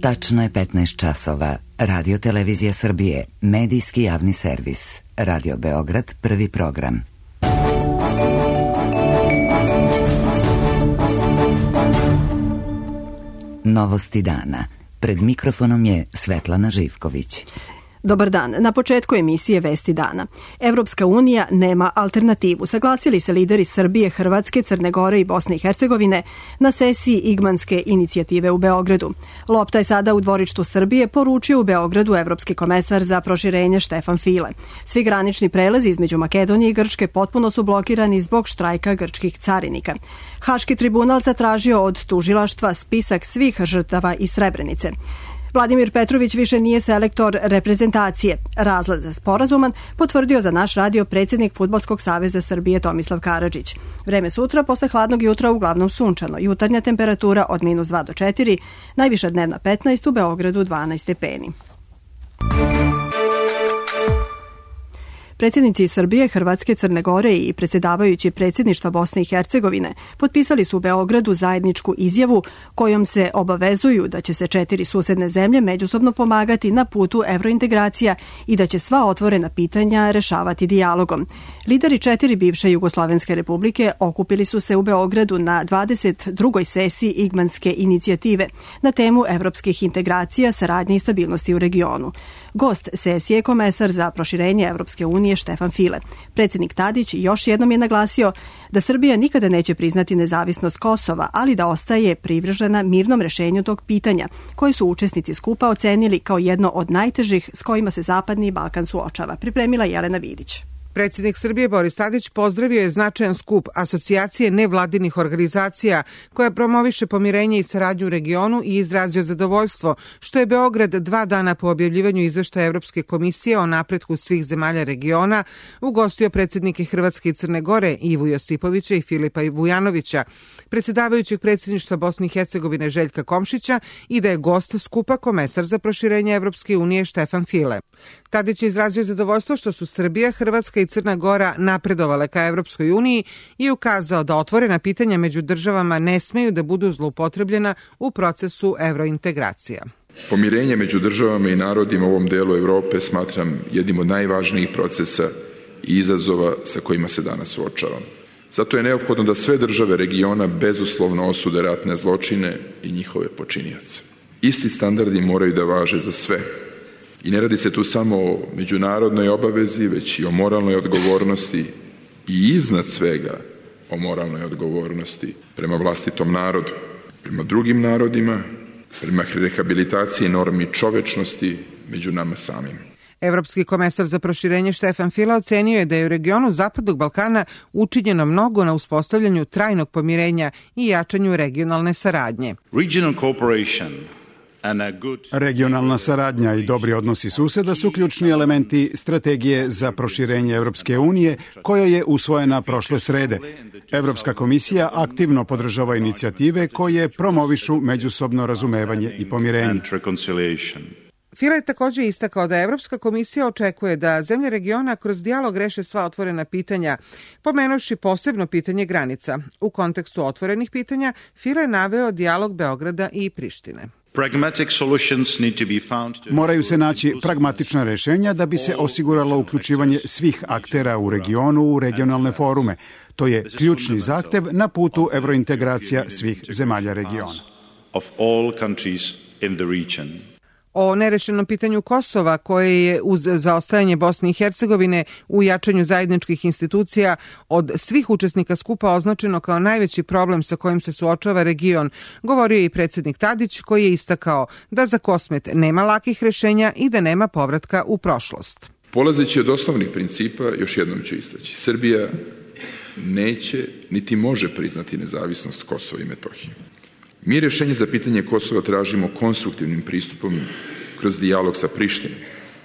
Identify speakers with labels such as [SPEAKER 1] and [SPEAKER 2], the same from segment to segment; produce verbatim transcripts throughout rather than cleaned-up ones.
[SPEAKER 1] Tačno je petnaest časova. Radio Televizija Srbije, medijski javni servis. Radio Beograd, prvi program. Novosti dana. Pred mikrofonom je Svetlana Živković.
[SPEAKER 2] Dobar dan. Na početku emisije Vesti dana. Evropska unija nema alternativu. Saglasili se lideri Srbije, Hrvatske, Crne Gore i Bosne i Hercegovine na sesiji Igmanske inicijative u Beogradu. Lopta je sada u dvorištu Srbije, poručio u Beogradu evropski komesar za proširenje Štefan File. Svi granični prelazi između Makedonije i Grčke potpuno su blokirani zbog štrajka grčkih carinika. Haški tribunal zatražio od tužilaštva spisak svih žrtava iz Srebrenice. Vladimir Petrović više nije selektor reprezentacije. Razlog za sporazuman potvrdio za naš radio predsjednik Fudbalskog saveza Srbije Tomislav Karadžić. Vreme sutra posle hladnog jutra uglavnom sunčano. Jutarnja temperatura od minus dva do četiri, najviša dnevna petnaest, u Beogradu dvanaest stepeni. Predsjednici Srbije, Hrvatske, Crne Gore i predsjedavajući predsjedništva Bosne i Hercegovine potpisali su u Beogradu zajedničku izjavu kojom se obavezuju da će se četiri susedne zemlje međusobno pomagati na putu evrointegracija i da će sva otvorena pitanja rešavati dijalogom. Lideri četiri bivše Jugoslovenske republike okupili su se u Beogradu na dvadeset drugoj sesiji Igmanske inicijative na temu evropskih integracija, saradnje i stabilnosti u regionu. Gost sesije je komesar za proširenje Evropske unije Štefan File. Predsjednik Tadić još jednom je naglasio da Srbija nikada neće priznati nezavisnost Kosova, ali da ostaje privržena mirnom rešenju tog pitanja, koje su učesnici skupa ocenili kao jedno od najtežih s kojima se Zapadni Balkan suočava. Pripremila Jelena Vidić.
[SPEAKER 3] Predsjednik Srbije Boris Tadić pozdravio je značajan skup asocijacije nevladinih organizacija koja promoviše pomirenje i saradnju u regionu i izrazio zadovoljstvo što je Beograd dva dana po objavljivanju izveštaja Evropske komisije o napretku svih zemalja regiona ugostio predsjednike Hrvatske i Crne Gore Ivu Josipovića i Filipa Vujanovića, predsjedavajućeg predsjedništva Bosne i Hercegovine Željka Komšića i da je gost skupa komesar za proširenje Evropske unije Štefan File. Tadić je izrazio zadovoljstvo što su Srbija, Hrvatska i Crna Gora napredovale ka Evropskoj uniji i ukazao da otvorena pitanja među državama ne smeju da budu zloupotrebljena u procesu evrointegracija.
[SPEAKER 4] Pomirenje među državama i narodima u ovom delu Evrope smatram jednim od najvažnijih procesa i izazova sa kojima se danas suočavamo. Zato je neophodno da sve države regiona bezuslovno osude ratne zločine i njihove počinioce. Isti standardi moraju da važe za sve. I ne radi se tu samo o međunarodnoj obavezi, već i o moralnoj odgovornosti i iznad svega o moralnoj odgovornosti prema vlastitom narodu, prema drugim narodima, prema rehabilitaciji normi čovečnosti među nama samim.
[SPEAKER 3] Evropski komesar za proširenje Štefan File ocenio je da je u regionu Zapadnog Balkana učinjeno mnogo na uspostavljanju trajnog pomirenja i jačanju regionalne saradnje.
[SPEAKER 5] Regional cooperation
[SPEAKER 6] Regionalna saradnja i dobri odnosi suseda su ključni elementi strategije za proširenje Evropske unije koja je usvojena prošle srede. Evropska komisija aktivno podržava inicijative koje promovišu međusobno razumevanje i pomirenje.
[SPEAKER 3] File je također istakao da Evropska komisija očekuje da zemlje regiona kroz dijalog reše sva otvorena pitanja, pomenuvši posebno pitanje granica. U kontekstu otvorenih pitanja File je naveo dijalog Beograda i Prištine.
[SPEAKER 6] Moraju se naći pragmatična rešenja da bi se osiguralo uključivanje svih aktera u regionu u regionalne forume. To je ključni zahtev na putu evrointegracija svih zemalja regiona.
[SPEAKER 3] O nerešenom pitanju Kosova, koje je uz zaostajanje Bosne i Hercegovine u jačanju zajedničkih institucija od svih učesnika skupa označeno kao najveći problem sa kojim se suočava region, govorio je i predsjednik Tadić, koji je istakao da za Kosmet nema lakih rešenja i da nema povratka u prošlost.
[SPEAKER 4] Polazeći od osnovnih principa, još jednom ću istaći, Srbija neće niti može priznati nezavisnost Kosova i Metohije. Mi rješenje za pitanje Kosova tražimo konstruktivnim pristupom kroz dijalog sa Prištinom,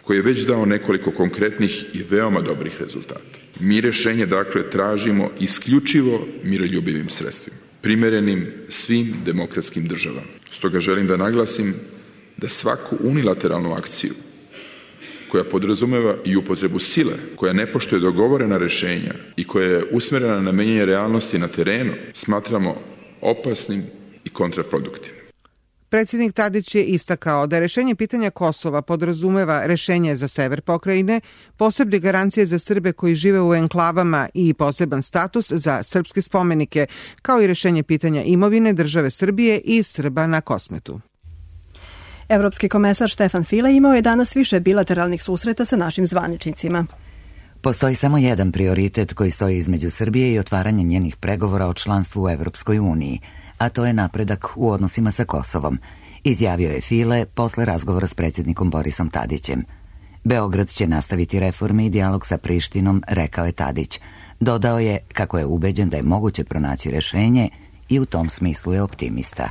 [SPEAKER 4] koji je već dao nekoliko konkretnih i veoma dobrih rezultata. Mi rješenje, dakle, tražimo isključivo miroljubivim sredstvima, primerenim svim demokratskim državama. Stoga želim da naglasim da svaku unilateralnu akciju koja podrazumeva i upotrebu sile, koja ne poštuje dogovorena rješenja i koja je usmjerena na menjanje realnosti na terenu, smatramo opasnim i kontraproduktivnim.
[SPEAKER 3] Predsjednik Tadić je istakao da rešenje pitanja Kosova podrazumeva rešenje za sever pokrajine, posebne garancije za Srbe koji žive u enklavama i poseban status za srpske spomenike, kao i rešenje pitanja imovine države Srbije i Srba na Kosmetu.
[SPEAKER 2] Evropski komesar Štefan File imao je danas više bilateralnih susreta sa našim zvaničnicima.
[SPEAKER 1] Postoji samo jedan prioritet koji stoji između Srbije i otvaranje njenih pregovora o članstvu u Evropskoj uniji, a to je napredak u odnosima sa Kosovom, izjavio je File posle razgovora s predsjednikom Borisom Tadićem. Beograd će nastaviti reforme i dijalog sa Prištinom, rekao je Tadić. Dodao je kako je ubeđen da je moguće pronaći rešenje i u tom smislu je optimista.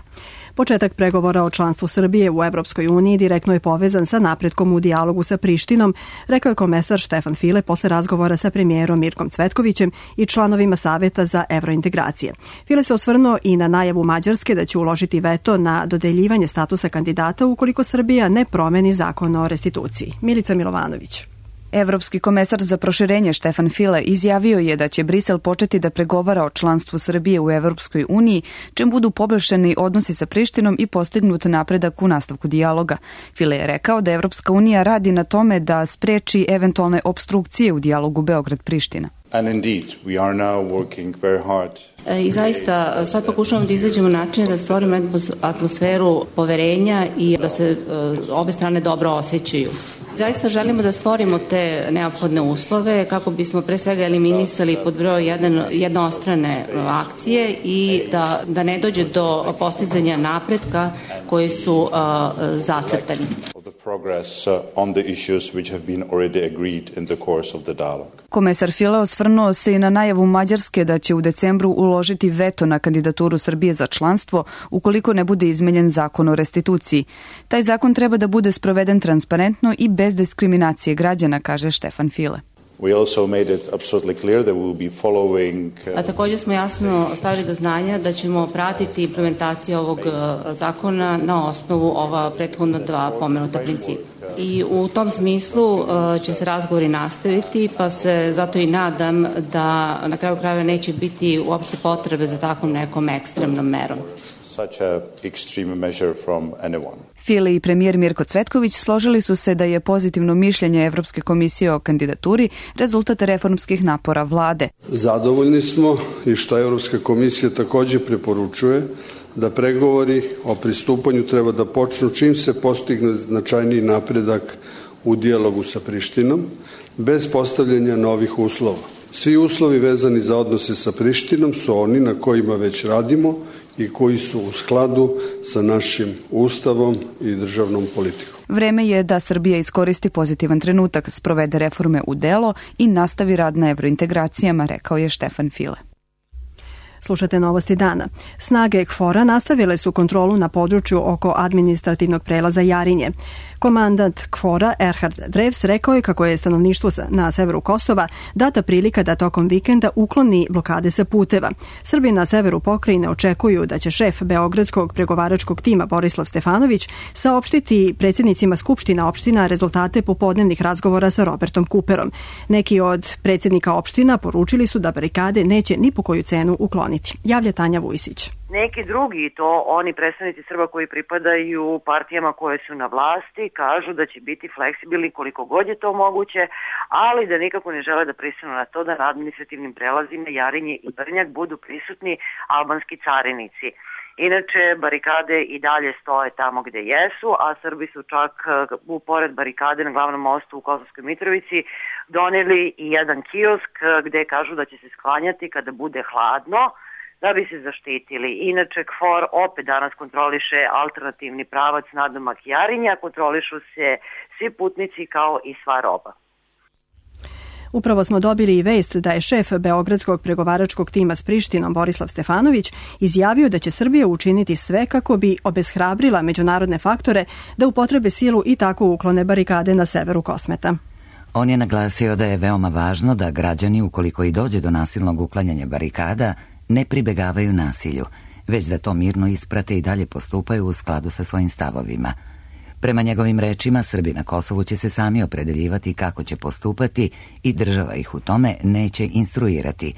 [SPEAKER 2] Početak pregovora o članstvu Srbije u Evropskoj uniji direktno je povezan sa napretkom u dijalogu sa Prištinom, rekao je komesar Štefan File posle razgovora sa premijerom Mirkom Cvetkovićem i članovima Saveta za evrointegracije. File se osvrnuo i na najavu Mađarske da će uložiti veto na dodeljivanje statusa kandidata ukoliko Srbija ne promeni zakon o restituciji. Milica Milovanović.
[SPEAKER 5] Evropski komesar za proširenje Štefan File izjavio je da će Brisel početi da pregovara o članstvu Srbije u Evropskoj uniji, čim budu poboljšani odnosi sa Prištinom i postignut napredak u nastavku dijaloga. File je rekao da Evropska unija radi na tome da spreči eventualne opstrukcije u dijalogu Beograd-Priština.
[SPEAKER 7] And indeed, we are now working very hard.
[SPEAKER 8] I zaista sad pokušavamo da izađemo načine da stvorimo atmosferu poverenja i da se obe strane dobro osjećaju. Zaista želimo da stvorimo te neophodne uslove kako bismo pre svega eliminisali pod broj jedan jednostrane akcije i da, da ne dođe do postizanja napretka koji su uh, zacrtani.
[SPEAKER 5] Komesar File osvrnuo se i na najavu Mađarske da će u decembru uložiti veto na kandidaturu Srbije za članstvo ukoliko ne bude izmenjen zakon o restituciji. Taj zakon treba da bude sproveden transparentno i bez diskriminacije građana, kaže Štefan File.
[SPEAKER 7] We also made it absolutely clear that we will be following...
[SPEAKER 8] A također smo jasno stavili do znanja da ćemo pratiti implementaciju ovog zakona na osnovu ova prethodna dva pomenuta principa. I u tom smislu će se razgovori nastaviti, pa se zato i nadam da na kraju krajeva neće biti uopšte potrebe za takvom nekom ekstremnom merom.
[SPEAKER 7] Such a extreme measure from anyone.
[SPEAKER 5] File i premijer Mirko Cvetković složili su se da je pozitivno mišljenje Evropske komisije o kandidaturi rezultat reformskih napora vlade.
[SPEAKER 9] Zadovoljni smo i što Evropska komisija također preporučuje da pregovori o pristupanju treba da počnu čim se postigne značajniji napredak u dijalogu sa Prištinom, bez postavljanja novih uslova. Svi uslovi vezani za odnose sa Prištinom su oni na kojima već radimo i koji su u skladu sa našim ustavom i državnom politikom.
[SPEAKER 5] Vreme je da Srbija iskoristi pozitivan trenutak, sprovede reforme u delo i nastavi rad na evrointegracijama, rekao je Štefan File.
[SPEAKER 2] Slušate novosti dana. Snage KFOR-a nastavile su kontrolu na području oko administrativnog prelaza Jarinje. Komandant KFOR-a Erhard Drevs rekao je kako je stanovništvu na severu Kosova data prilika da tokom vikenda ukloni blokade sa puteva. Srbi na severu pokrajine očekuju da će šef Beogradskog pregovaračkog tima Borislav Stefanović saopštiti predsjednicima skupština opština rezultate popodnevnih razgovora sa Robertom Cooperom. Neki od predsjednika opština poručili su da barikade neće ni po koju cenu ukloniti. Javlja Tanja Vujsić.
[SPEAKER 10] Neki drugi, to oni predstavnici Srba koji pripadaju partijama koje su na vlasti, kažu da će biti fleksibilni koliko god je to moguće, ali da nikako ne žele da pristanu na to da na administrativnim prelazima Jarinje i Brnjak budu prisutni albanski carinici. Inače, barikade i dalje stoje tamo gde jesu, a Srbi su čak u pored barikade na glavnom mostu u Kosovskoj Mitrovici doneli i jedan kiosk gde kažu da će se sklanjati kada bude hladno, da bi se zaštitili. Inače, KFOR opet danas kontroliše alternativni pravac nadomak Jarinja, kontrolišu se svi putnici kao i sva roba.
[SPEAKER 2] Upravo smo dobili i vest da je šef Beogradskog pregovaračkog tima s Prištinom Borislav Stefanović izjavio da će Srbija učiniti sve kako bi obeshrabrila međunarodne faktore da upotrebe silu i tako uklone barikade na severu Kosmeta.
[SPEAKER 1] On je naglasio da je veoma važno da građani, ukoliko i dođe do nasilnog uklanjanja barikada, ne pribegavaju nasilju, već da to mirno isprate i dalje postupaju u skladu sa svojim stavovima. Prema njegovim rečima, Srbi na Kosovu će se sami opredeljivati kako će postupati i država ih u tome neće instruirati.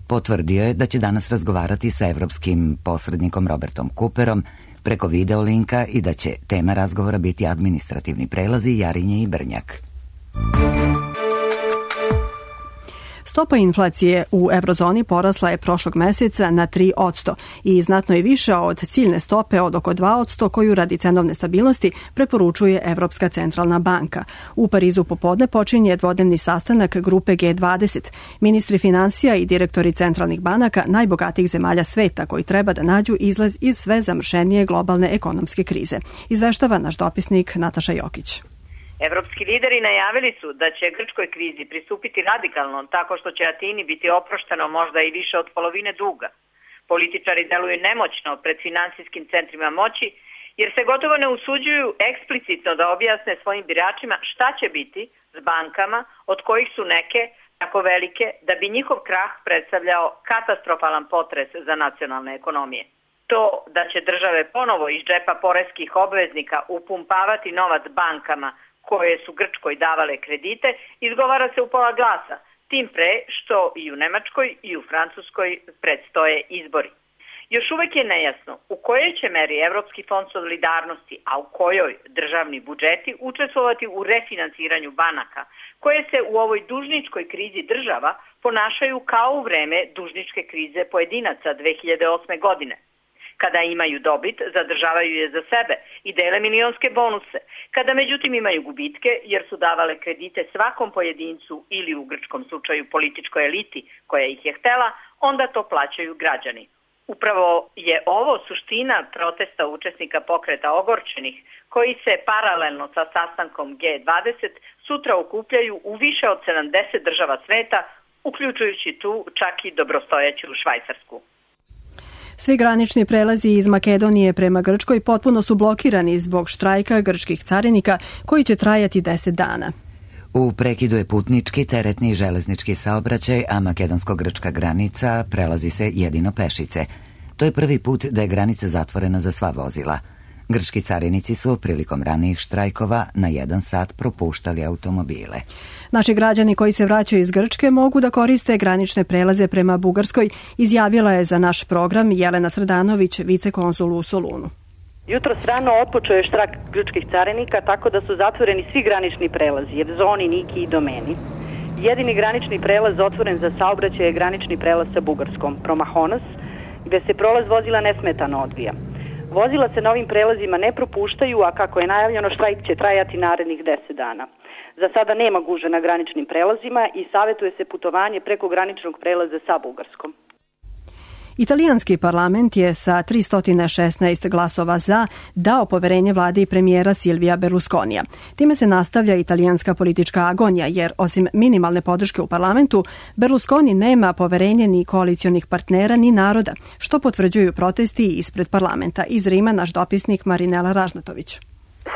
[SPEAKER 1] Potvrdio je da će danas razgovarati sa evropskim posrednikom Robertom Cooperom, preko video linka i da će tema razgovora biti administrativni prelazi Jarinje i Brnjak.
[SPEAKER 2] Stopa inflacije u eurozoni porasla je prošlog meseca na tri posto i znatno je više od ciljne stope od oko dva posto koju radi cenovne stabilnosti preporučuje Evropska centralna banka. U Parizu popodne počinje dvodnevni sastanak grupe G dvadeset, ministri finansija i direktori centralnih banaka najbogatijih zemalja sveta koji treba da nađu izlaz iz sve zamršenije globalne ekonomske krize. Izveštava naš dopisnik Nataša Jokić.
[SPEAKER 11] Evropski lideri najavili su da će grčkoj krizi pristupiti radikalno tako što će Atini biti oprošteno možda i više od polovine duga. Političari deluju nemoćno pred finansijskim centrima moći jer se gotovo ne usuđuju eksplicitno da objasne svojim biračima šta će biti s bankama od kojih su neke tako velike da bi njihov krah predstavljao katastrofalan potres za nacionalne ekonomije. To da će države ponovo iz džepa poreskih obveznika upumpavati novac bankama koje su Grčkoj davale kredite, izgovara se u pola glasa, tim pre što i u Nemačkoj i u Francuskoj predstoje izbori. Još uvek je nejasno u kojoj će meri Evropski fond solidarnosti, a u kojoj državni budžeti učestvovati u refinansiranju banaka, koje se u ovoj dužničkoj krizi država ponašaju kao u vreme dužničke krize pojedinaca dve hiljade osme. godine. Kada imaju dobit, zadržavaju je za sebe i dele milionske bonuse. Kada međutim imaju gubitke, jer su davale kredite svakom pojedincu ili u grčkom slučaju političkoj eliti koja ih je htela, onda to plaćaju građani. Upravo je ovo suština protesta učesnika pokreta ogorčenih, koji se paralelno sa sastankom G dvadeset sutra okupljaju u više od sedamdeset država sveta, uključujući tu čak i dobrostojeću Švajcarsku.
[SPEAKER 2] Svi granični prelazi iz Makedonije prema Grčkoj potpuno su blokirani zbog štrajka grčkih carinika koji će trajati deset dana.
[SPEAKER 1] U prekidu je putnički, teretni i železnički saobraćaj, a makedonsko-grčka granica prelazi se jedino pešice. To je prvi put da je granica zatvorena za sva vozila. Grčki carinici su prilikom ranijih štrajkova na jedan sat propuštali automobile.
[SPEAKER 2] Naši građani koji se vraćaju iz Grčke mogu da koriste granične prelaze prema Bugarskoj, izjavila je za naš program Jelena Srdanović, vicekonzul u Solunu.
[SPEAKER 12] Jutros rano otpočeo je štrajk grčkih carinika tako da su zatvoreni svi granični prelazi, Evzoni, Niki i Domeni. Jedini granični prelaz otvoren za saobraćaj je granični prelaz sa Bugarskom, Promahonas, gde se prolaz vozila nesmetano odvija. Vozila se na ovim prelazima ne propuštaju, a kako je najavljeno, štrajk će trajati narednih deset dana. Za sada nema gužve na graničnim prelazima i savjetuje se putovanje preko graničnog prelaza sa Bugarskom.
[SPEAKER 2] Italijanski parlament je sa tristo šesnaest glasova za dao poverenje vladi premijera Silvija Berlusconija. Time se nastavlja italijanska politička agonija, jer osim minimalne podrške u parlamentu, Berlusconi nema poverenje ni koalicionih partnera ni naroda, što potvrđuju protesti ispred parlamenta. Iz Rima naš dopisnik Marinela Ražnatović.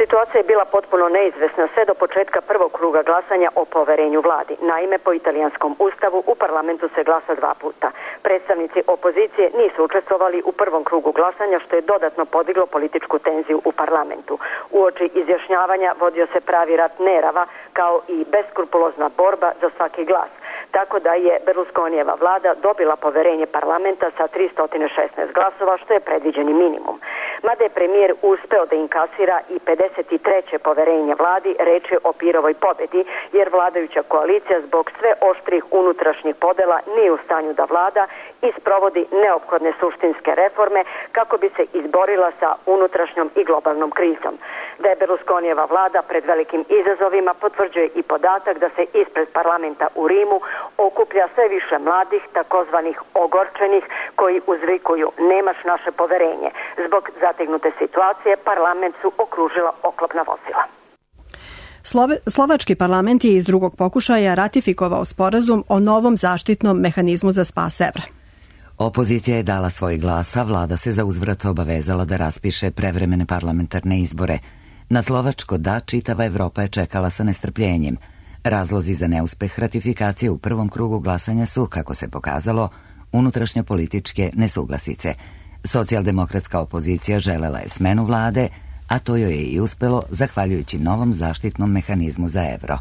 [SPEAKER 13] Situacija je bila potpuno neizvesna sve do početka prvog kruga glasanja o poverenju vladi. Naime, po italijanskom ustavu u parlamentu se glasa dva puta. Predstavnici opozicije nisu učestvovali u prvom krugu glasanja, što je dodatno podiglo političku tenziju u parlamentu. Uoči izjašnjavanja vodio se pravi rat nerava, kao i beskrupulozna borba za svaki glas. Tako da je Berlusconijeva vlada dobila poverenje parlamenta sa tristo šesnaest glasova, što je predviđeni minimum. Mada je premijer uspeo da inkasira i pedeset treće poverenje vladi, reč je o Pirovoj pobedi, jer vladajuća koalicija zbog sve oštrih unutrašnjih podela nije u stanju da vlada i sprovodi neophodne suštinske reforme kako bi se izborila sa unutrašnjom i globalnom krizom. Da je Berlusconijeva vlada pred velikim izazovima potvrđuje i podatak da se ispred parlamenta u Rimu okuplja sve više mladih, takozvanih ogorčenih, koji uzvikuju nemaš naše poverenje. Zbog zategnute situacije parlament su okružila oklopna vozila.
[SPEAKER 2] Slove, Slovački parlament je iz drugog pokušaja ratifikovao sporazum o novom zaštitnom mehanizmu za spas evra.
[SPEAKER 1] Opozicija je dala svoj glas, a vlada se za uzvrat obavezala da raspiše prevremene parlamentarne izbore. Na slovačko da čitava Evropa je čekala sa nestrpljenjem. Razlozi za neuspeh ratifikacije u prvom krugu glasanja su, kako se pokazalo, unutrašnje političke nesuglasice. Socijaldemokratska opozicija želela je smenu vlade, a to joj je i uspelo zahvaljujući novom zaštitnom mehanizmu za evro.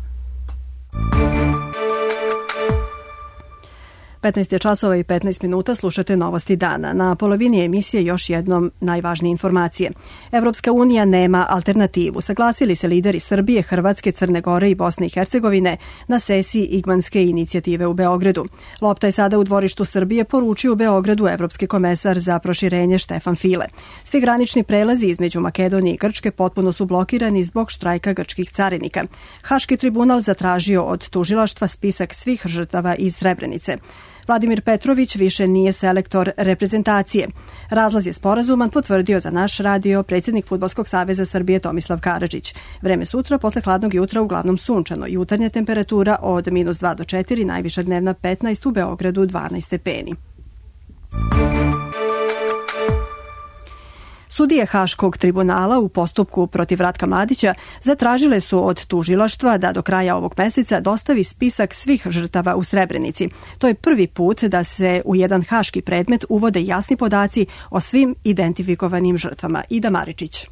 [SPEAKER 2] petnaest je časova i petnaest minuta, slušate Novosti dana. Na polovini emisije još jednom najvažnije informacije. Evropska unija nema alternativu. Saglasili se lideri Srbije, Hrvatske, Crne Gore i Bosne i Hercegovine na sesiji Igmanske inicijative u Beogradu. Lopta je sada u dvorištu Srbije, poručio u Beogradu evropski komesar za proširenje Štefan File. Svi granični prelazi između Makedonije i Grčke potpuno su blokirani zbog štrajka grčkih carinika. Haški tribunal zatražio od tužilaštva spisak svih žrtava iz Srebrenice. Vladimir Petrović više nije selektor reprezentacije. Razlaz je sporazuman, potvrdio za naš radio predsjednik Fudbalskog saveza Srbije Tomislav Karadžić. Vreme sutra, posle hladnog jutra uglavnom sunčano. Jutarnja temperatura od minus dva do četiri, najviša dnevna petnaest, u Beogradu dvanaest stepeni. Sudije Haškog tribunala u postupku protiv Ratka Mladića zatražile su od tužilaštva da do kraja ovog meseca dostavi spisak svih žrtava u Srebrenici. To je prvi put da se u jedan haški predmet uvode jasni podaci o svim identifikovanim žrtvama. Ida Maričić.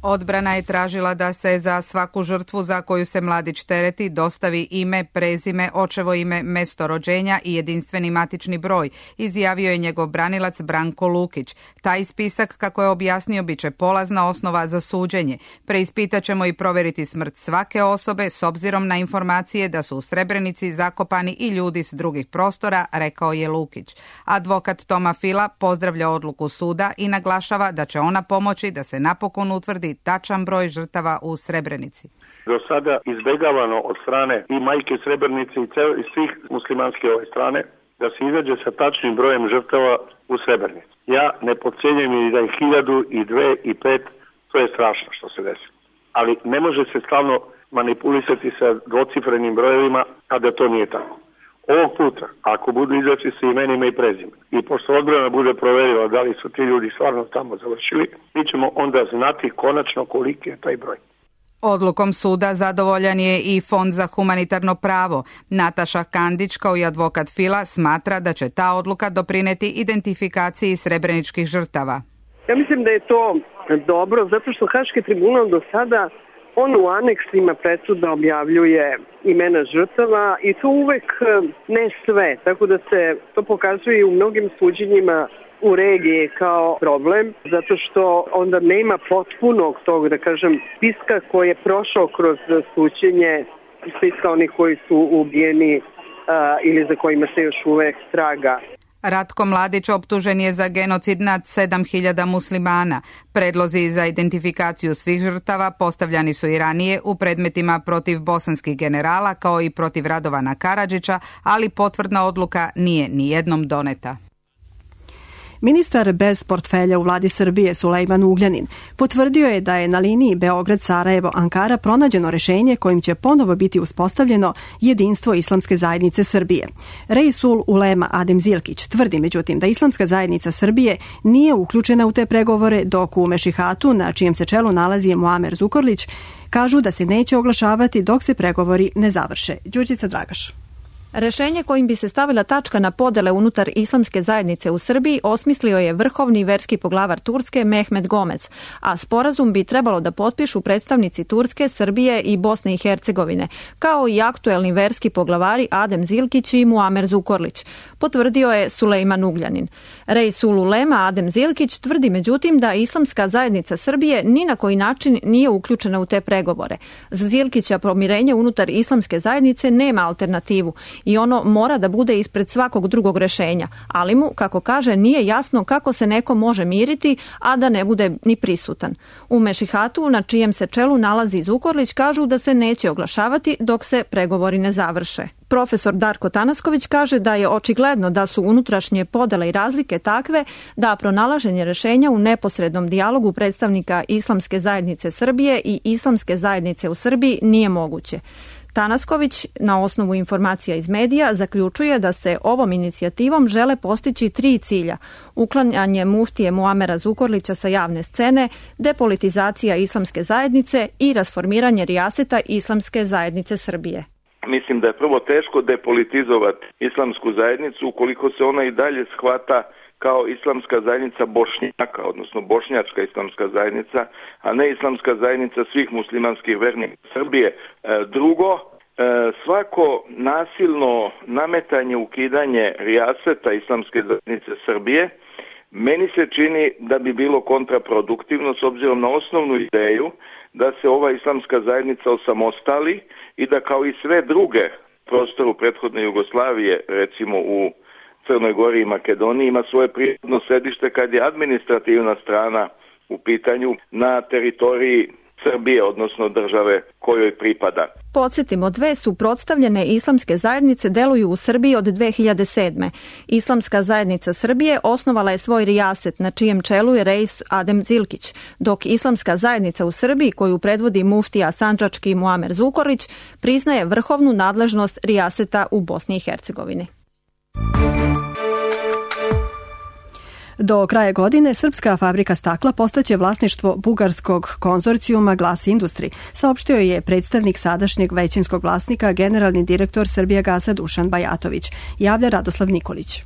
[SPEAKER 14] Odbrana je tražila da se za svaku žrtvu za koju se Mladić tereti dostavi ime, prezime, očevo ime, mesto rođenja i jedinstveni matični broj, izjavio je njegov branilac Branko Lukić. Taj spisak, kako je objasnio, bit će polazna osnova za suđenje. Preispitaćemo i proveriti smrt svake osobe s obzirom na informacije da su u Srebrenici zakopani i ljudi s drugih prostora, rekao je Lukić. Advokat Toma Fila pozdravlja odluku suda i naglašava da će ona pomoći da se napokon utvrdi tačan broj žrtava u Srebrenici.
[SPEAKER 15] Do sada izbegavano od strane i majke Srebrenice i, cel, i svih muslimanske ove strane da se izađe sa tačnim brojem žrtava u Srebrenici. Ja ne podcjenjujem i da je hiljadu i dve i pet, to je strašno što se desi. Ali ne može se stalno manipulisati sa dvocifrenim brojevima, a da to nije tako. Ovog puta, ako budu izaći sa imenima i prezime i pošto odbrana bude proverila da li su ti ljudi stvarno tamo završili, mi ćemo onda znati konačno koliki je taj broj.
[SPEAKER 14] Odlukom suda zadovoljan je i Fond za humanitarno pravo. Nataša Kandić, kao i advokat Fila, smatra da će ta odluka doprineti identifikaciji srebreničkih žrtava.
[SPEAKER 16] Ja mislim da je to dobro, zato što Haški tribunal do sada on u aneksima presuda objavljuje imena žrtava i to uvek ne sve, tako da se to pokazuje u mnogim suđenjima u regiji kao problem, zato što onda nema potpunog tog, da kažem, spiska koji je prošao kroz suđenje, spiska onih koji su ubijeni uh, ili za kojima se još uvek traga.
[SPEAKER 14] Ratko Mladić optužen je za genocid nad sedam hiljada muslimana. Predlozi za identifikaciju svih žrtava postavljani su i ranije u predmetima protiv bosanskih generala kao i protiv Radovana Karadžića, ali potvrdna odluka nije ni jednom doneta.
[SPEAKER 2] Ministar bez portfelja u vladi Srbije Sulejman Ugljanin potvrdio je da je na liniji Beograd-Sarajevo-Ankara pronađeno rešenje kojim će ponovo biti uspostavljeno jedinstvo Islamske zajednice Srbije. Reisul Ulema Adem Zilkić tvrdi međutim da Islamska zajednica Srbije nije uključena u te pregovore, dok u Mešihatu, na čijem se čelu nalazi Muamer Zukorlić, kažu da se neće oglašavati dok se pregovori ne završe. Đurđica Dragaš.
[SPEAKER 17] Rešenje kojim bi se stavila tačka na podele unutar Islamske zajednice u Srbiji osmislio je vrhovni verski poglavar Turske Mehmet Gomez, a sporazum bi trebalo da potpišu predstavnici Turske, Srbije i Bosne i Hercegovine, kao i aktuelni verski poglavari Adem Zilkić i Muamer Zukorlić, potvrdio je Sulejman Ugljanin. Reisul Ulema Adem Zilkić tvrdi međutim da Islamska zajednica Srbije ni na koji način nije uključena u te pregovore. Za Zilkića pomirenje unutar Islamske zajednice nema alternativu i ono mora da bude ispred svakog drugog rešenja, ali mu, kako kaže, nije jasno kako se neko može miriti, a da ne bude ni prisutan. U Mešihatu, na čijem se čelu nalazi Zukorlić, kažu da se neće oglašavati dok se pregovori ne završe. Profesor Darko Tanasković kaže da je očigledno da su unutrašnje podele i razlike takve da pronalaženje rešenja u neposrednom dijalogu predstavnika Islamske zajednice Srbije i Islamske zajednice u Srbiji nije moguće. Tanasković, na osnovu informacija iz medija, zaključuje da se ovom inicijativom žele postići tri cilja: uklanjanje muftije Muamera Zukorlića sa javne scene, depolitizacija Islamske zajednice i rasformiranje rijaseta Islamske zajednice Srbije.
[SPEAKER 18] Mislim da je prvo teško depolitizovati Islamsku zajednicu ukoliko se ona i dalje shvata kao Islamska zajednica Bošnjaka, odnosno Bošnjačka Islamska zajednica, a ne Islamska zajednica svih muslimanskih vernika Srbije. Drugo, svako nasilno nametanje, ukidanje rijaseta Islamske zajednice Srbije meni se čini da bi bilo kontraproduktivno s obzirom na osnovnu ideju da se ova Islamska zajednica osamostali i da kao i sve druge prostoru prethodne Jugoslavije, recimo u Crnoj Gori i Makedoniji, ima svoje prirodno sedište kad je administrativna strana u pitanju na teritoriji Srbije, odnosno države kojoj pripada.
[SPEAKER 17] Podsjetimo, dve suprotstavljene islamske zajednice deluju u Srbiji od dve hiljade sedme. Islamska zajednica Srbije osnovala je svoj rijaset na čijem čelu je reis Adem Zilkić, dok Islamska zajednica u Srbiji, koju predvodi muftija sandžački Muamer Zukorlić, priznaje vrhovnu nadležnost rijaseta u Bosni i Hercegovini. Do kraja godine srpska fabrika stakla postaće vlasništvo bugarskog konzorcijuma Glas Industri, saopštio je predstavnik sadašnjeg većinskog vlasnika, generalni direktor Srbijagasa Dušan Bajatović. Javlja Radoslav Nikolić.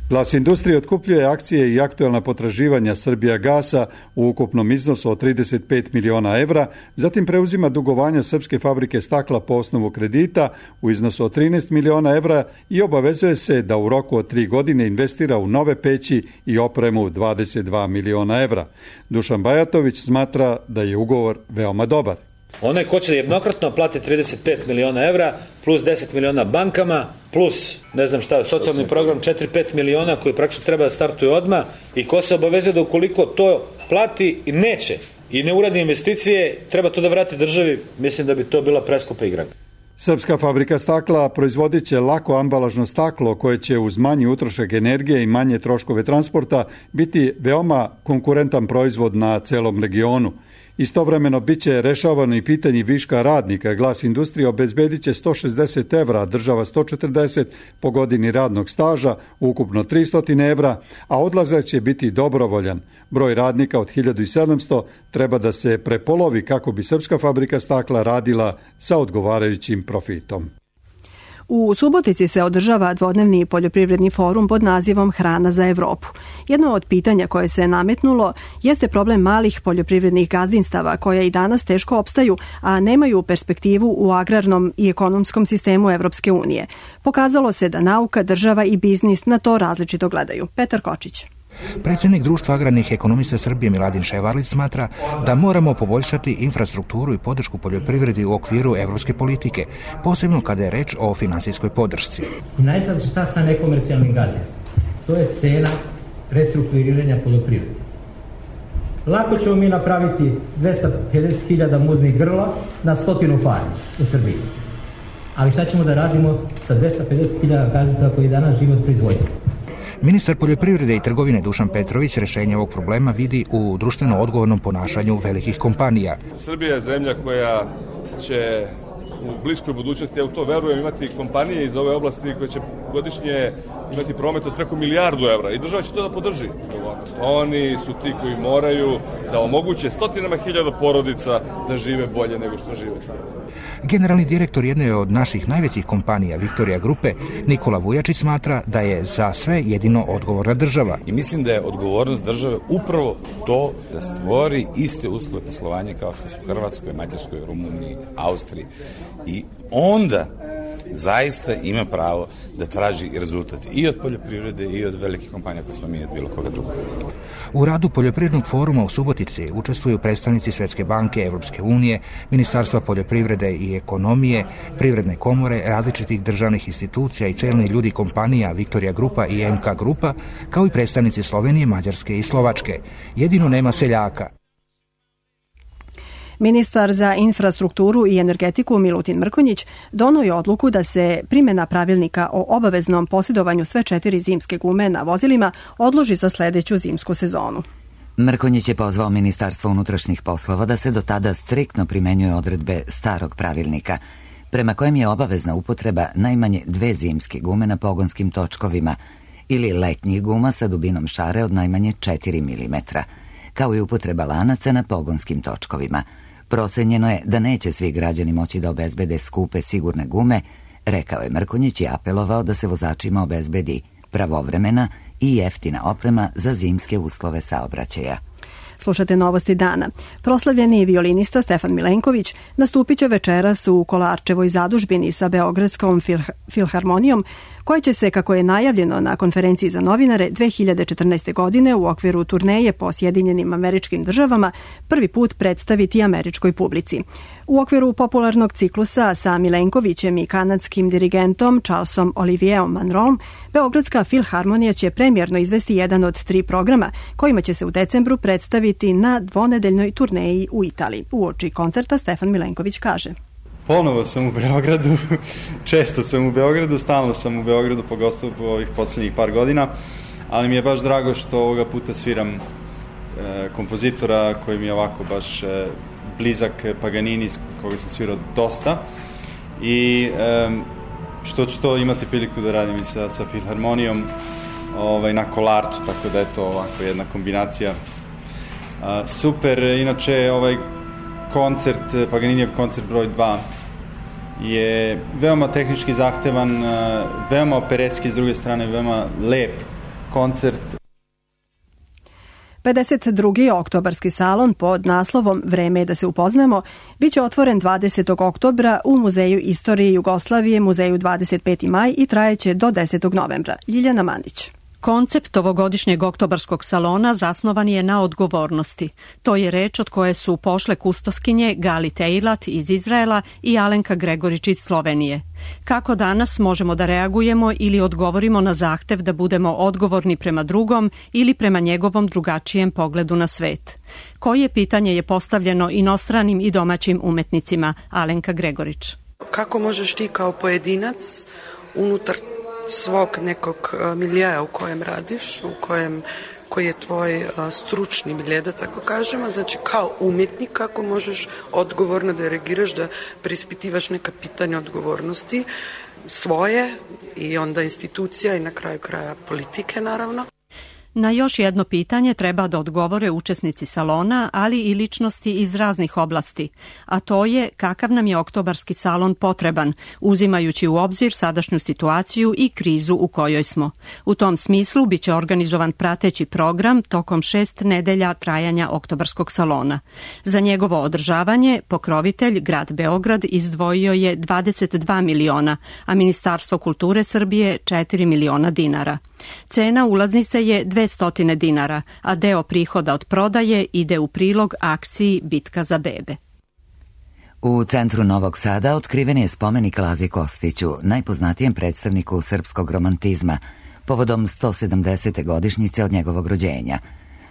[SPEAKER 6] Glas Industrije otkupljuje akcije i aktuelna potraživanja Srbijagasa u ukupnom iznosu od trideset pet miliona evra, zatim preuzima dugovanja srpske fabrike stakla po osnovu kredita u iznosu od trinaest miliona evra i obavezuje se da u roku od tri godine investira u nove peći i opremu dvadeset dva miliona evra. Dušan Bajatović smatra da je ugovor veoma dobar.
[SPEAKER 19] Onaj ko će jednokratno plati trideset pet miliona evra, plus deset miliona bankama, plus, ne znam šta, socijalni program četiri do pet miliona koji praktično treba da startuje odmah i ko se obaveze da ukoliko to plati i neće i ne uradi investicije, treba to da vrati državi, mislim da bi to bila preskupa igra.
[SPEAKER 6] Srpska fabrika stakla proizvodit će lako ambalažno staklo koje će uz manji utrošak energije i manje troškove transporta biti veoma konkurentan proizvod na celom regionu. Istovremeno bit će rešavano i pitanje viška radnika. Glas Industrije obezbedit će sto šezdeset evra, a država sto četrdeset po godini radnog staža, ukupno tristo evra, a odlazak će biti dobrovoljan. Broj radnika od hiljadu sedamsto treba da se prepolovi kako bi srpska fabrika stakla radila sa odgovarajućim profitom.
[SPEAKER 2] U Subotici se održava dvodnevni poljoprivredni forum pod nazivom Hrana za Evropu. Jedno od pitanja koje se nametnulo jeste problem malih poljoprivrednih gazdinstava koja i danas teško opstaju, a nemaju perspektivu u agrarnom i ekonomskom sistemu Evropske unije. Pokazalo se da nauka, država i biznis na to različito gledaju. Petar Kočić.
[SPEAKER 20] Predsjednik Društva agrarnih ekonomista Srbije Miladin Ševarlić smatra da moramo poboljšati infrastrukturu i podršku poljoprivredi u okviru evropske politike, posebno kada je reč o finansijskoj podršci.
[SPEAKER 21] I najzad šta sa nekomercijalnim gazdinstvom? To je cena restrukturiranja poljoprivrede. Lako ćemo mi napraviti dvesta pedeset hiljada muznih grla na stotinu farmi u Srbiji. Ali šta ćemo da radimo sa dvesta pedeset hiljada gazdinstava koji danas žive od proizvodnje?
[SPEAKER 20] Ministar poljoprivrede i trgovine Dušan Petrović rešenje ovog problema vidi u društveno odgovornom ponašanju velikih kompanija.
[SPEAKER 22] Srbija je zemlja koja će u bliskoj budućnosti, ja u to verujem, imati kompanije iz ove oblasti koje će godišnje imati promet od preko milijardu evra i država će to da podrži. Oni su ti koji moraju da omoguće stotinama hiljada porodica da žive bolje nego što žive sada.
[SPEAKER 20] Generalni direktor jedne od naših najvećih kompanija, Viktorija Grupe, Nikola Vujačić, smatra da je za sve jedino odgovorna država.
[SPEAKER 23] I mislim da je odgovornost države upravo to da stvori iste uslove poslovanja kao što su u Hrvatskoj, Mađarskoj, Rumuniji, Austriji. I onda zaista ima pravo da traži rezultat i od poljoprivrede i od velikih kompanija koje smo mi od bilo koga drugog.
[SPEAKER 20] U radu Poljoprivrednog foruma u Subotici učestvuju predstavnici Svetske banke, Evropske unije, Ministarstva poljoprivrede i ekonomije, Privredne komore, različitih državnih institucija i čelni ljudi kompanija Viktorija Grupa i M K Grupa, kao i predstavnici Slovenije, Mađarske i Slovačke. Jedino nema seljaka.
[SPEAKER 2] Ministar za infrastrukturu i energetiku Milutin Mrkonjić donio je odluku da se primjena pravilnika o obaveznom posjedovanju sve četiri zimske gume na vozilima odloži za sljedeću zimsku sezonu.
[SPEAKER 1] Mrkonjić je pozvao Ministarstvo unutrašnjih poslova da se do tada striktno primenjuje odredbe starog pravilnika, prema kojem je obavezna upotreba najmanje dve zimske gume na pogonskim točkovima ili letnjih guma sa dubinom šare od najmanje četiri milimetra, kao i upotreba lanaca na pogonskim točkovima. Procenjeno je da neće svi građani moći da obezbede skupe sigurne gume, rekao je Mrkonjić i apelovao da se vozačima obezbedi pravovremena i jeftina oprema za zimske uslove saobraćaja.
[SPEAKER 2] Slušate Novosti dana. Proslavljeni violinista Stefan Milenković nastupit će večeras u Kolarčevoj zadužbini sa Beogradskom filharmonijom, koja će se, kako je najavljeno na konferenciji za novinare dve hiljade četrnaeste. godine u okviru turneje po Sjedinjenim Američkim Državama, prvi put predstaviti američkoj publici. U okviru popularnog ciklusa sa Milenkovićem i kanadskim dirigentom Charlesom Olivierom Monroom, Beogradska filharmonija će premijerno izvesti jedan od tri programa kojima će se u decembru predstaviti na dvonedeljnoj turneji u Italiji. Uoči koncerta Stefan Milenković kaže:
[SPEAKER 3] Ponovo sam u Beogradu, često sam u Beogradu, stalno sam u Beogradu, pogotovo po ovih posljednjih par godina, ali mi je baš drago što ovoga puta sviram e, kompozitora koji mi je ovako baš e, blizak, Paganini, koga sam svirao dosta, i e, što ću to imati priliku da radim i sa, sa filharmonijom ovaj, na Kolarcu, tako da je to ovako jedna kombinacija. A, super, inače ovaj koncert, Paganinijev koncert broj dva je veoma tehnički zahtevan, veoma operetski, s druge strane veoma lep koncert.
[SPEAKER 2] pedeset drugi oktobarski salon pod naslovom Vreme je da se upoznamo biće otvoren dvadesetog oktobra u Muzeju istorije Jugoslavije, Muzeju dvadeset peti maj i trajeće do desetog novembra. Ljiljana Mandić.
[SPEAKER 4] Koncept ovogodišnjeg oktobarskog salona zasnovan je na odgovornosti. To je reč od koje su pošle kustoskinje Gali Teilat iz Izraela i Alenka Gregorić iz Slovenije. Kako danas možemo da reagujemo ili odgovorimo na zahtev da budemo odgovorni prema drugom ili prema njegovom drugačijem pogledu na svet? Koje pitanje je postavljeno inostranim i domaćim umetnicima? Alenka Gregorić.
[SPEAKER 8] Kako možeš ti kao pojedinac unutar svog nekog miljeja u kojem radiš, u kojem, koji je tvoj stručni milje, da tako kažemo, znači kao umjetnik kako možeš odgovorno da reagiraš, da preispitivaš neka pitanja odgovornosti svoje i onda institucija i na kraju kraja politike, naravno.
[SPEAKER 4] Na još jedno pitanje treba da odgovore učesnici salona, ali i ličnosti iz raznih oblasti, a to je kakav nam je oktobarski salon potreban, uzimajući u obzir sadašnju situaciju i krizu u kojoj smo. U tom smislu biće organizovan prateći program tokom šest nedelja trajanja oktobarskog salona. Za njegovo održavanje pokrovitelj grad Beograd izdvojio je dvadeset dva miliona, a Ministarstvo kulture Srbije četiri miliona dinara. Cena ulaznice je dvesta dinara, a deo prihoda od prodaje ide u prilog akciji Bitka za bebe.
[SPEAKER 1] U centru Novog Sada otkriven je spomenik Lazi Kostiću, najpoznatijem predstavniku srpskog romantizma, povodom sto sedamdesete godišnjice od njegovog rođenja.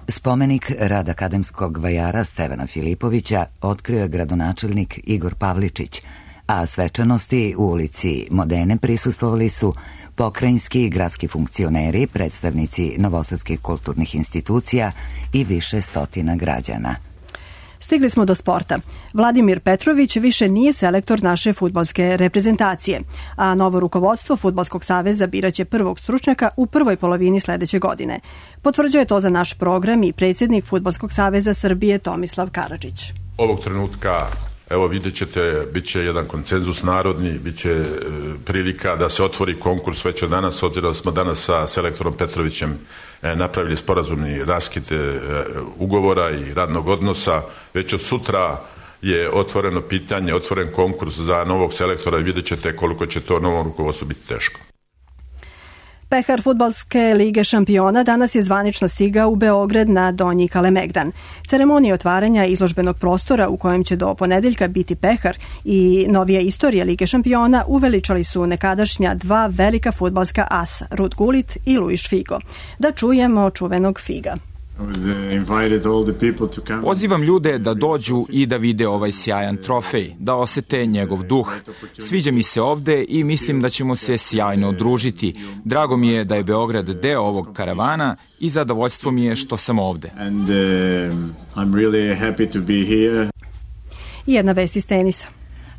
[SPEAKER 1] Spomenik rad akademskog vajara Stevana Filipovića otkrio je gradonačelnik Igor Pavličić, a svečanosti u ulici Modene prisustvovali su pokrajinski i gradski funkcioneri, predstavnici novosadskih kulturnih institucija i više stotina građana.
[SPEAKER 2] Stigli smo do sporta. Vladimir Petrović više nije selektor naše fudbalske reprezentacije, a novo rukovodstvo Fudbalskog saveza biraće prvog stručnjaka u prvoj polovini sledeće godine. Potvrđuje to za naš program i predsjednik Fudbalskog saveza Srbije Tomislav Karadžić.
[SPEAKER 24] Ovog trenutka, evo vidjet ćete, bit će jedan konsenzus narodni, bit će e, prilika da se otvori konkurs već od danas, obzirom da smo danas sa selektorom Petrovićem e, napravili sporazumni raskid e, ugovora i radnog odnosa. Već od sutra je otvoreno pitanje, otvoren konkurs za novog selektora i vidjet ćete koliko će to novom rukovodstvu biti teško.
[SPEAKER 2] Pehar Fudbalske lige šampiona danas je zvanično stigao u Beograd na Donji Kalemegdan. Ceremonija otvaranja izložbenog prostora u kojem će do ponedeljka biti pehar i novija istorija lige šampiona uveličali su nekadašnja dva velika fudbalska asa, Rud Gullit i Luis Figo. Da čujemo čuvenog Figa.
[SPEAKER 25] Pozivam ljude da dođu i da vide ovaj sjajan trofej, da osete njegov duh. Sviđa mi se ovde i mislim da ćemo se sjajno udružiti. Drago mi je da je Beograd deo ovog karavana i zadovoljstvo mi je što sam ovde.
[SPEAKER 2] And, uh, I'm really happy to be here. I jedna vest iz tenisa.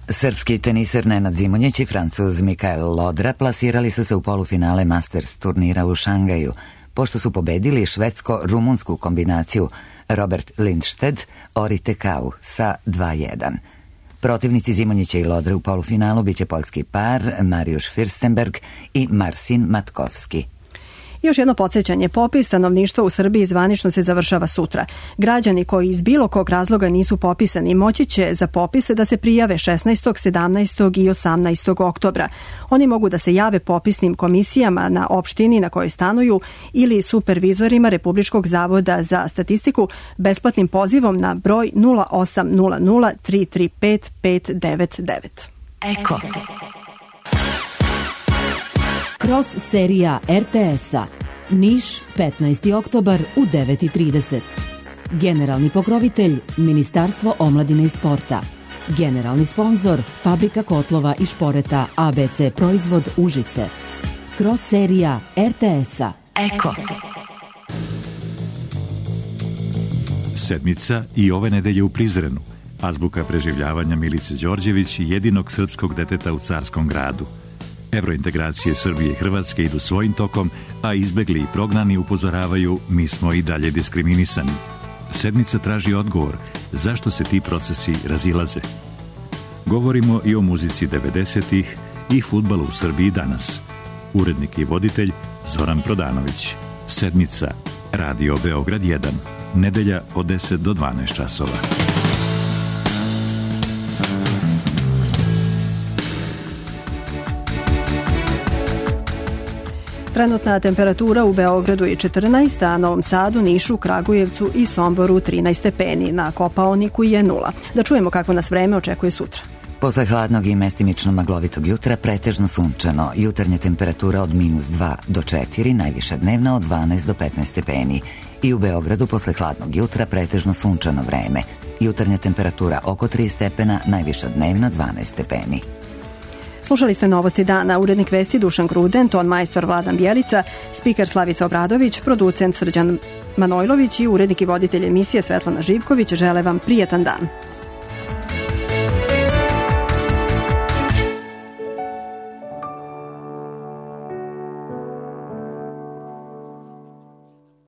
[SPEAKER 1] Srpski teniser Nenad Zimonjić i Francuz Mikael Lodra plasirali su se u polufinale Masters turnira u Šangaju, pošto su pobedili švedsko-rumunsku kombinaciju Robert Lindstedt, Ori Tekau sa dva jedan. Protivnici Zimonjića i Lodre u polufinalu biće poljski par Mariusz Fürstenberg i Marcin Matkovski.
[SPEAKER 2] Još jedno podsjećanje, popis stanovništva u Srbiji zvanično se završava sutra. Građani koji iz bilo kog razloga nisu popisani moći će za popise da se prijave šesnaestog, sedamnaestog i osamnaestog oktobra. Oni mogu da se jave popisnim komisijama na opštini na kojoj stanuju ili supervizorima Republičkog zavoda za statistiku besplatnim pozivom na broj nula osam nula nula tri tri pet pet devet devet.
[SPEAKER 5] Eko. Cross serija er te es-a. Niš, petnaesti oktobar u devet i trideset. Generalni pokrovitelj Ministarstvo omladine i sporta. Generalni sponzor Fabrika kotlova i šporeta a be ce Proizvod Užice. Cross serija er te es-a. Eko.
[SPEAKER 7] Sedmica i ove nedelje u Prizrenu. Azbuka preživljavanja Milice Đorđević, jedinog srpskog deteta u Carskom gradu. Evrointegracije Srbije i Hrvatske idu svojim tokom, a izbegli i prognani upozoravaju mi smo i dalje diskriminisani. Sedmica traži odgovor zašto se ti procesi razilaze. Govorimo i o muzici devedesetih i fudbalu u Srbiji danas. Urednik i voditelj Zoran Prodanović. Sedmica, Radio Beograd jedan. Nedelja od deset do dvanaest časova.
[SPEAKER 2] Trenutna temperatura u Beogradu je četrnaest, a Novom Sadu, Nišu, Kragujevcu i Somboru trinaest stepeni. Na Kopaoniku je nula. Da čujemo kako nas vreme očekuje sutra.
[SPEAKER 1] Posle hladnog i mestimično maglovitog jutra pretežno sunčano. Jutarnja temperatura od minus dva do četiri, najviša dnevna od dvanaest do petnaest stepeni. I u Beogradu posle hladnog jutra pretežno sunčano vreme. Jutarnja temperatura oko tri stepena, najviša dnevna dvanaest stepeni.
[SPEAKER 2] Slušali ste Novosti dana, urednik vesti Dušan Gruden, ton majstor Vladan Bjelica, spiker Slavica Obradović, producent Srđan Manojlović i urednik i voditelj emisije Svetlana Živković. Žele vam prijetan dan.